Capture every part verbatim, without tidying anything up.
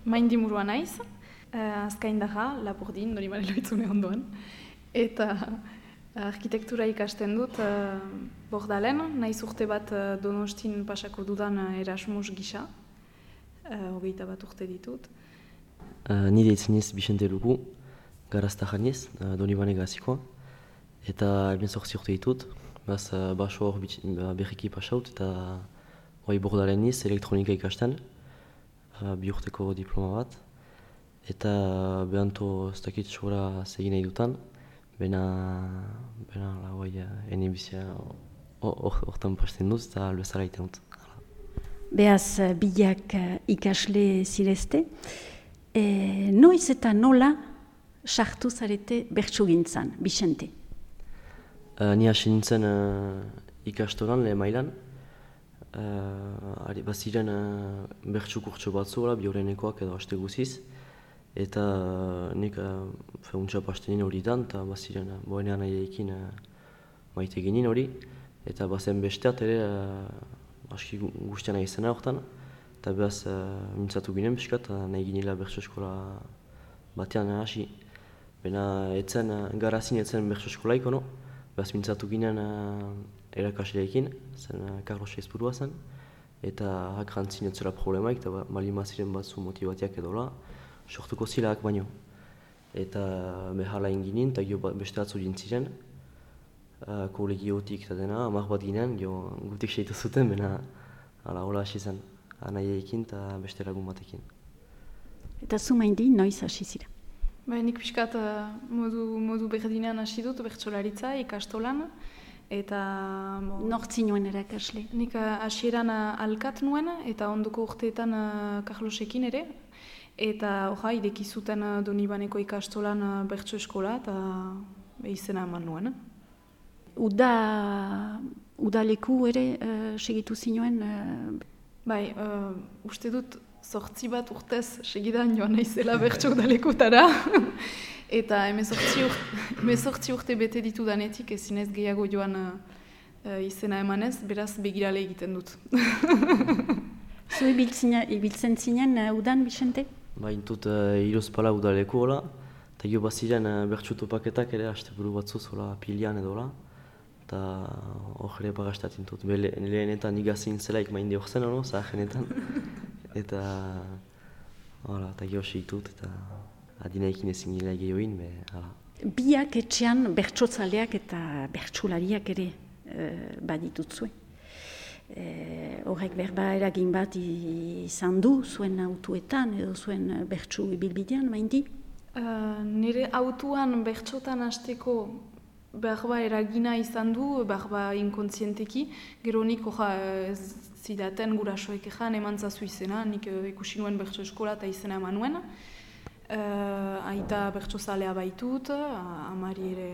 Maindimurua naiz, uh, azkaindarra, Lapurdin, Donibane Lohitzune ondoan. Eta arkitektura ikasten dut uh, Bordalen, naiz urte bat uh, Donostin pasako dudan uh, Erasmus gisa. Uh, hogeita bat urte ditut. Uh, nire itzeniz Bixente Lugu, garazta janiz, uh, Donibane gazikoa. Eta eben zortzi urte ditut, baz uh, baso hor berriki pasaut eta hori Bordalen niz elektronika ikasten, uh, bi urteko diploma bat. Eta behanto ez dakit sobra zegin nahi dutan, bena, bena, hoi, ene bizia hortan pasten duz eta albezara iten dut. Beaz, bilak ikasle zirezte, e, noiz eta nola sartu zarete bertsugintzan, Bixente? Uh, ni hasi nintzen uh, ikastoran, lehen mailan. Uh, Baziren uh, bertsu kurtso batzu, bi horrenekoak edo haste guziz. Eta uh, nik uh, untsa pastenin hori dan, eta baziren uh, boenean nahiaekin uh, maite ginen hori. Eta bazen besteat ere uh, aski guztian nahi zena horretan. Eta behaz uh, mintzatu ginen piskat, uh, nahi ginela bertso eskola batean hasi. Bena etzen, uh, garazin etzen bertso eskolaik, ono. Behaz mintzatu ginen uh, erakasleekin, zen uh, Carlos Eizpurua zen. Eta hakrantzin etzela problemaik, eta balima ziren batzu motibatiak edola. Sortuko zilak baino. Eta behala inginin, eta gio beste atzu dintziren. Uh, kolegiotik eta dena, hamar bat ginen, gio gutik seitu zuten, bena hala hola hasi zen. Anaiekin eta beste lagun batekin. Eta zu maindi, noiz hasi zira? Ba, nik pixkat uh, modu, modu berdinean hasi dut, bertsolaritza, ikastolan. Eta... Bo, Nortzi nuen erakasle? Nik uh, hasieran uh, alkat nuen, eta ondoko urteetan uh, Carlosekin ere. Eta hoja, ideki zuten uh, Donibaneko ikastolan uh, bertso eskola, eta uh, izena eman nuen. Uda, udaleku ere uh, segitu zinuen? Uh... Bai, uh, uste dut zortzi bat urtez segidan joan naizela bertso udalekutara. Eta hemezortzi urte bete ditu danetik ezinez gehiago joan uh, izena emanez, beraz begirale egiten dut. Zu ibiltzen zinen uh, udan, Bixente? Ba, intut uh, Iruzpala udaleku hola, eta gio baziren uh, bertsu topaketak ere asteburu batzuz hola pilian edo hola. Eta hor ere bagastatzen dut. Lehenetan igazin zelaik mainde hor zen, no? Zaharenetan. Eta hala, eta gio segitut eta adinaikin ezin gila gehioin, be, hala. Biak etxean bertsotzaleak eta bertsolariak ere e, baditutzue. E, horrek berba eragin bat izan du zuen autuetan edo zuen bertsu ibilbidean, maindi? Uh, nire autuan bertsotan hasteko berba eragina izan du, berba inkontzienteki. Gero nik ez zidaten gurasoek ezan eman zazu izena, nik uh, ikusi nuen bertso eskola eta izena eman nuen. Uh, aita bertsozalea baitut, uh, amari ere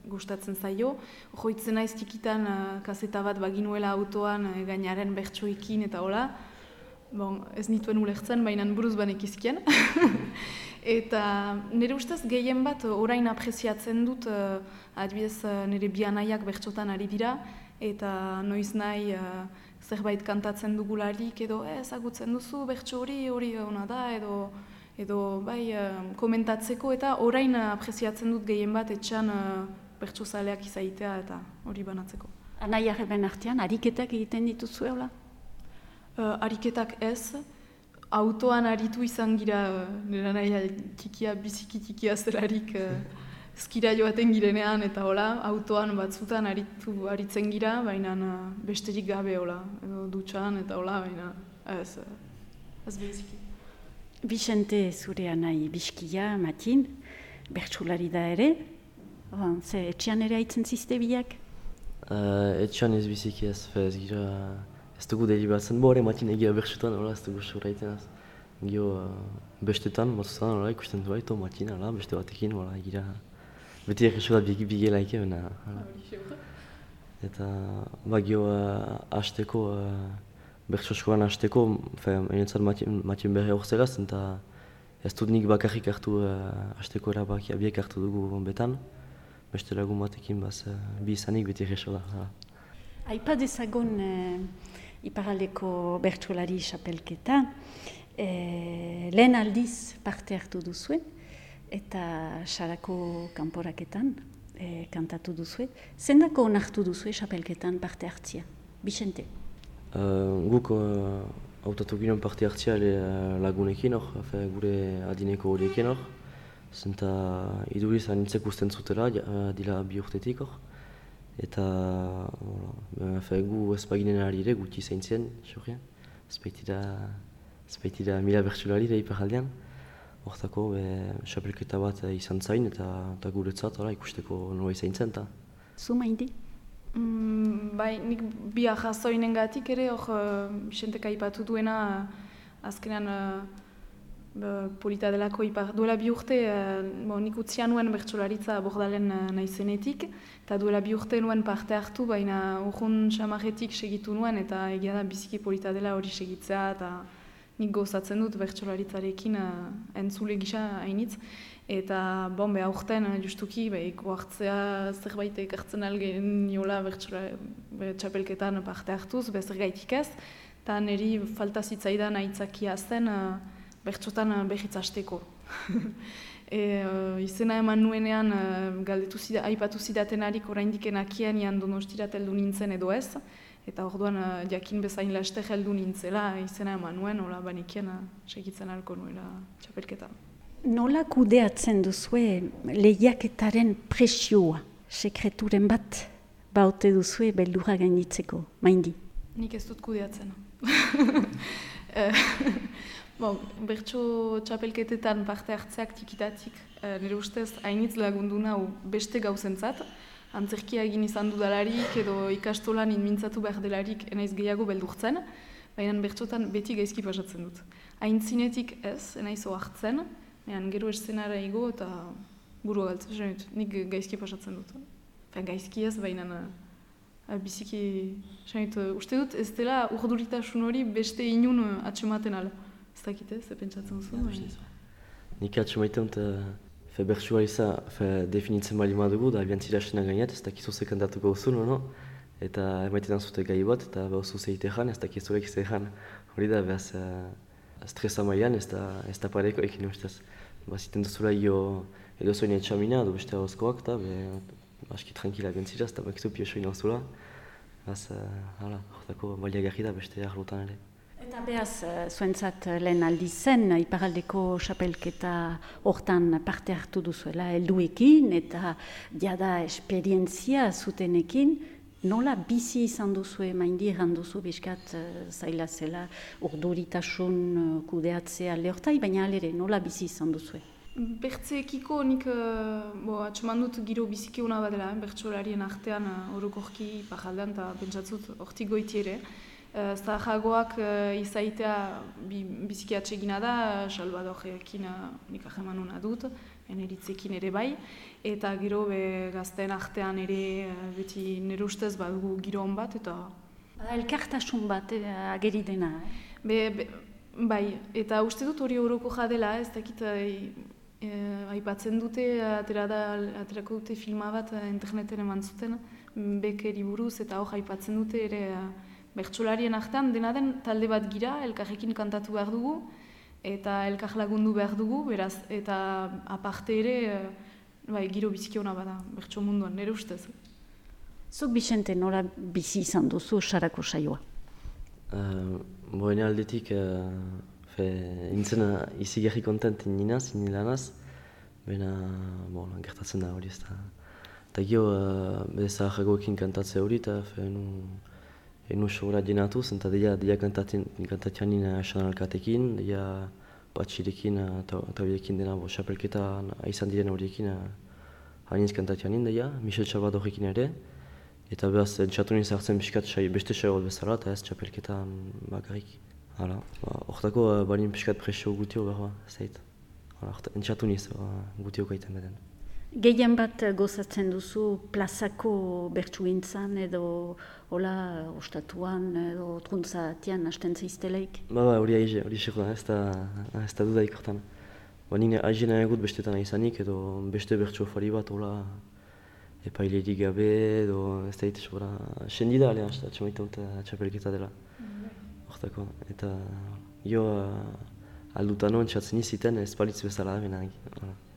gustatzen zaio. Joitzen naiz tikitan uh, kaseta bat baginuela autoan uh, gainaren bertsoekin eta hola. Bon, ez nituen ulertzen, baina buruz banekizkien. Eta nire ustez gehien bat orain apreziatzen dut, uh, adibidez uh, nire bianaiak bertsotan ari dira, eta noiz nahi uh, zerbait kantatzen dugularik edo ezagutzen duzu bertso hori hori ona da edo edo bai uh, komentatzeko eta orain apreziatzen dut gehien bat etxan uh, bertsozaleak izaitea eta hori banatzeko. Anaia herben artean, ariketak egiten dituzu hola? Uh, ariketak ez, autoan aritu izan gira, uh, nire naia txikia, biziki txikia zelarik uh, skira joaten girenean eta hola, autoan batzutan aritu aritzen gira, baina uh, besterik gabe hola, edo dutxan eta hola, baina ez, uh, ez beziki. Bixente zure anai Bizkia, Matin, bertsolari da ere, oh, ze etxean ere haitzen zizte biak? Uh, etxean ez biziki ez, ez gira, ez dugu delibatzen, bo hori Matin egia bertsutan, hola, ez dugu soraiten ez. Gio uh, bestetan, batzutan, hola, ikusten du baito, Matin, hola, beste batekin, hola, gira, beti erresu da bigelaike, bena, hola. Eta, ba, gio, uh, hasteko, uh, bertso eskolan hasteko, enetzat Matien berri hor zegaz, eta ez dut nik bakarrik hartu hasteko uh, erabakia, biek hartu dugu betan. Beste lagun batekin, baz, uh, bi izanik beti erreso da. Aipa dezagon uh, iparaldeko bertsolari xapelketa, eh, lehen aldiz parte hartu duzue, eta sarako kanporaketan e, kantatu duzue. Zendako onartu duzue xapelketan parte hartzia? Bixente? Uh, guk uh, hautatu ginen parte hartzia uh, lagunekin hor, gure adineko horiekin hor. Zenta iduriz anintzek usten zutela, uh, dila bi urtetik hor. Eta uh, gu ez baginen ari ere guti zaintzen, xorien. Ez baitira mila bertsulari da iparaldean. Hortako, xapelketa bat izan zain eta guretzat ikusteko nola izan zen. Zu maindi? Mm, bai, nik bi ahazoinen gatik ere, hor Bixentek aipatu duena azkenean uh, polita delako ipar. Duela bi urte, uh, bo, nik utzia nuen bertsolaritza bordalen uh, naizenetik, eta duela bi urte nuen parte hartu, baina urrun xamarretik segitu nuen, eta egia da biziki polita dela hori segitzea, eta nik gozatzen dut bertsolaritzarekin uh, entzule gisa hainitz. Eta bon, beha urten, justuki, behiko hartzea zerbait ekartzen algen niola bertxapelketan parte hartuz, bezer gaitik ez. Eta niri falta zitzaidan aitzakia zen uh, bertxotan uh, behitz hasteko. e, uh, izena eman nuenean uh, galdetu zida, aipatu zidaten harik oraindik enakian ian Donostirat heldu nintzen edo ez. Eta orduan uh, jakin bezain laster heldu nintzela izena eman nuen, hola banekian uh, segitzen alko nuela txapelketan. Nola kudeatzen duzue lehiaketaren presioa, sekreturen bat baute duzue beldurra gainitzeko, maindi? Nik ez dut kudeatzen. bon, bertso txapelketetan parte hartzeak tikitatik, nire ustez hainitz lagundu nahu beste gauzentzat, antzerkia egin izan dudalarik edo ikastolan inmintzatu behar delarik enaiz gehiago beldurtzen, baina bertsotan beti gaizki pasatzen dut. Aintzinetik ez, enaiz ohartzen, Ean, gero eszenara igo eta buru galtzen, nik gaizki pasatzen dut. Fen, gaizki ez, baina uh, biziki, senit, uh, uste dut ez dela urduritasun hori beste inun uh, atxematen ala. Ez dakite, ze pentsatzen zu? Ja, nik atxemaiten dut, uh, bertsualiza definitzen bali madugu, da abiantzira esena gainet, ez dakizu ze kantatuko uzun, no? Eta emaitetan zute gai bat, eta behuzu zeite jan, ez dakizulek ze jan. Hori da, behaz, uh, stresa mailan ez da, ez da pareko ekin ustez. Baziten duzula io edo zoin etxamina, edo beste hauzkoak, eta aski tranquila bentzira, ez da bakizu piosoin hauzula. Beraz, hala, horretako baliagarri da beste arlotan ere. Eta behaz, zuentzat lehen aldi zen, iparaldeko xapelketa hortan parte hartu duzuela helduekin, eta jada esperientzia zutenekin, nola bizi izan duzu maindi erranduzu bizkat zaila zela urduritasun kudeatzea lehortai, baina alere nola bizi izan duzu? Bertzeekiko nik uh, atxeman dut giro biziki hona badela, eh? Bertsolarien artean uh, orokorki pajaldean eta pentsatzut hortik goiti ere. Uh, Zahagoak uh, izaitea bi, biziki atsegina da, Salvadorekin uh, nik aheman hona dut, eneritzekin ere bai, eta gero be gazteen artean ere beti nire ustez badugu giro hon bat, eta... Elkartasun bat eh, ageri dena, eh? Be, be, bai, eta uste dut hori horoko jadela, ez dakit eh, aipatzen dute, atera da, aterako dute filma bat interneten eman zuten, bekeri buruz, eta hor aipatzen dute ere bertsolarien artean, dena den talde bat gira, elkarrekin kantatu behar dugu, eta elkar lagundu behar dugu, beraz, eta aparte ere, bai, giro biziki hona bada, bertso munduan, nire ustez. Zuk Bixente nola bizi izan duzu sarako saioa? Uh, Boene aldetik, uh, fe, intzena izi gerri kontent ninaz, inilanaz, baina, bon, gertatzen da hori ez da. Eta gio, uh, bede zaharragoekin kantatze hori, eta fe, enu, enu sobra jenatuz, eta deia, deia kantatzean nina esan alkatekin, deia batxirekin eta horiekin dena, bo, xapelketa izan diren horiekin hainitz kantatzean nina, deia, Michel Salvadorekin ere, eta behaz, entxatu nien zartzen piskat beste xai hor bezala, eta ez xapelketan bakarrik. Hala, horretako balin piskat presio gutio behar, ez dait. Entxatu niz gutio gaiten beden. Gehien bat gozatzen duzu plazako bertsugintzan edo hola ostatuan edo truntzatian hasten zaizteleik? Ba, ba, hori aize, hori xeko da, ez da dudaik hortan. Ba, nire aize nahi egut bestetan izanik edo beste bertsu fari bat hola epailerik gabe edo ez da hitz sobra sendi da alean, atxamaiten dut atxapelketa dela. Hortako, eta jo aldutan hon txatzen iziten ez balitz bezala, bena,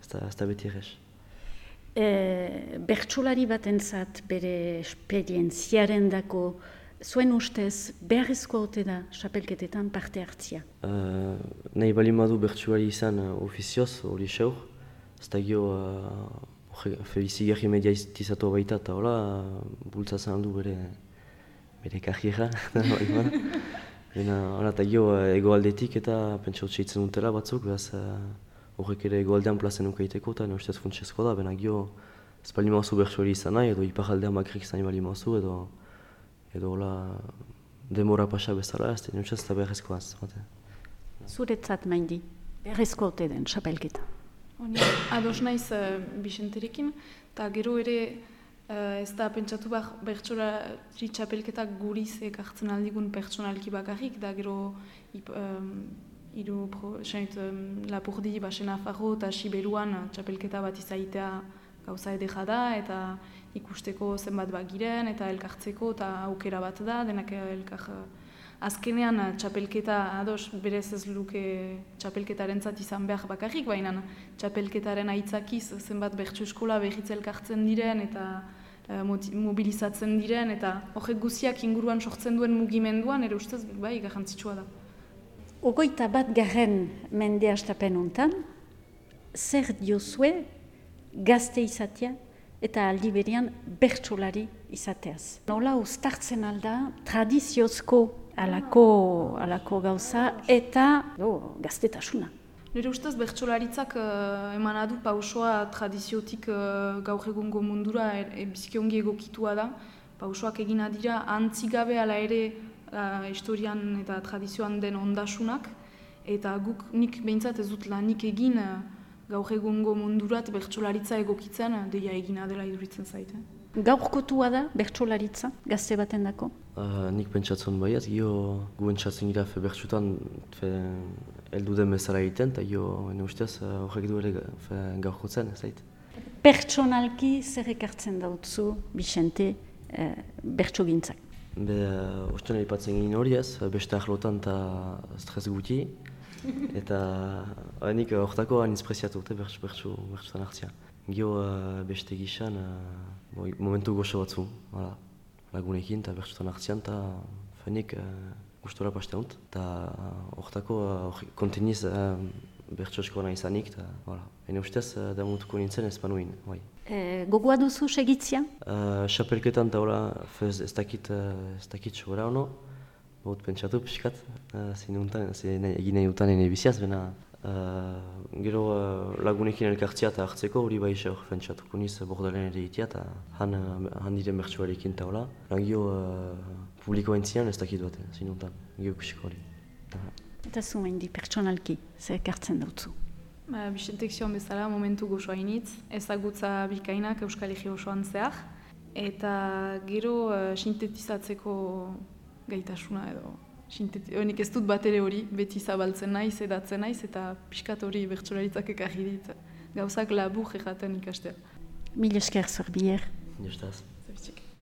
ez da beti errez. E, bertsolari batentzat bere esperientziaren dako, zuen ustez, beharrezko ote da txapelketetan parte hartzia? Uh, nahi bali madu bertsolari izan uh, ofizioz, hori xeur, ez da gio uh, felizigarri mediatizatu baita, eta hola, uh, bultzatzen aldu bere, bere karriera. Hora, eta gio uh, egoaldetik eta pentsa utxeitzen dutela batzuk, behaz horrek uh, ere egoaldean plazen ukaiteko, eta ne ustez funtsezko da, bena gio ez bali mazu bertsolari izan nahi, edo iparaldean bakrik izan bali mazu, edo edo hola demora pasa bezala, ez da nintxaz eta beharrezkoa az. Zuretzat maindi, beharrezko ote den txapelketa? Honi, ados naiz uh, Bixenterekin, eta gero ere uh, ez da pentsatu behar bertsolari txapelketak guriz ekartzen aldigun pertsonalki bakarrik, da gero ip, um, iru pro, senit, um, Lapurdi, Baxena Farro eta Siberuan txapelketa bat izaitea gauza edera da, eta ikusteko zenbat bagiren, eta elkartzeko, eta aukera bat da, denak elkar azkenean txapelketa, ados, berez ez luke txapelketaren zat izan behar bakarrik, baina txapelketaren aitzakiz zenbat bertso eskola behitz elkartzen diren, eta uh, mobilizatzen diren, eta horrek guziak inguruan sortzen duen mugimenduan, ere ustez, bai, garrantzitsua da. Ogoita bat garren mende hastapen hontan, zer diozue gazte izatea eta aldi berean bertsolari izateaz. Nola uztartzen alda tradiziozko alako, alako gauza eta oh, gaztetasuna. Nire ustez bertsolaritzak uh, eman adu pausoa tradiziotik uh, gaur egungo mundura e, e, biziki ongi egokitua da. Pausoak egina dira antzigabe ala ere uh, historian eta tradizioan den ondasunak, eta guk nik behintzat ez dut lanik egin uh, gaur egungo mundurat bertsolaritza egokitzen deia egina dela iduritzen zaite. Gaurkotua da bertsolaritza gazte baten dako? Uh, nik pentsatzen baiat, gio guen txatzen gira fe bertsutan heldu den bezala egiten, eta gio ene ustez horrek du ere gaurkotzen, zait. Pertsonalki zer ekartzen dautzu, Bixente, eh, bertsogintzak? Be, uh, osten aipatzen ginen hori ez, beste ahlotan eta stres guti, eta nik horretako anitz preziatu dute bertsutan hartzia. Gio uh, beste gizan, uh, momentu goxo batzu, voilà. Lagunekin eta bertsutan hartzian, eta fenik uh, gustora paste hont. Eta horretako uh, konteniz uh, bertso eskola izanik, eta voilà. Ene ustez uh, damutuko nintzen ez panuin. Bai. E, gogoa duzu segitzia? Uh, Xapelketan eta hola, ez dakit sobera hono. Baut pentsatu pixkat, egin nahi dutan ene biziaz, bena uh, gero uh, lagunekin elkartzia eta hartzeko hori bai xe hor pentsatuko niz bordalen ere itia eta han, han diren bertsuarekin eta hola. Gio uh, publikoa entzian ez dakit bat, zinuntan, gio kusiko hori. Eta zu mendi pertsonalki, zer ekartzen dautzu? Ba, Bixentek zion bezala momentu gozoa initz, ezagutza bikainak Euskal Herri osoan zehar, eta gero uh, sintetizatzeko gaitasuna edo nik ez dut bat ere hori, beti zabaltzen naiz, edatzen naiz, eta pixkat hori bertsolaritzak ekarri dit gauzak labur erraten ikastea. Mil esker zor bier. Justaz.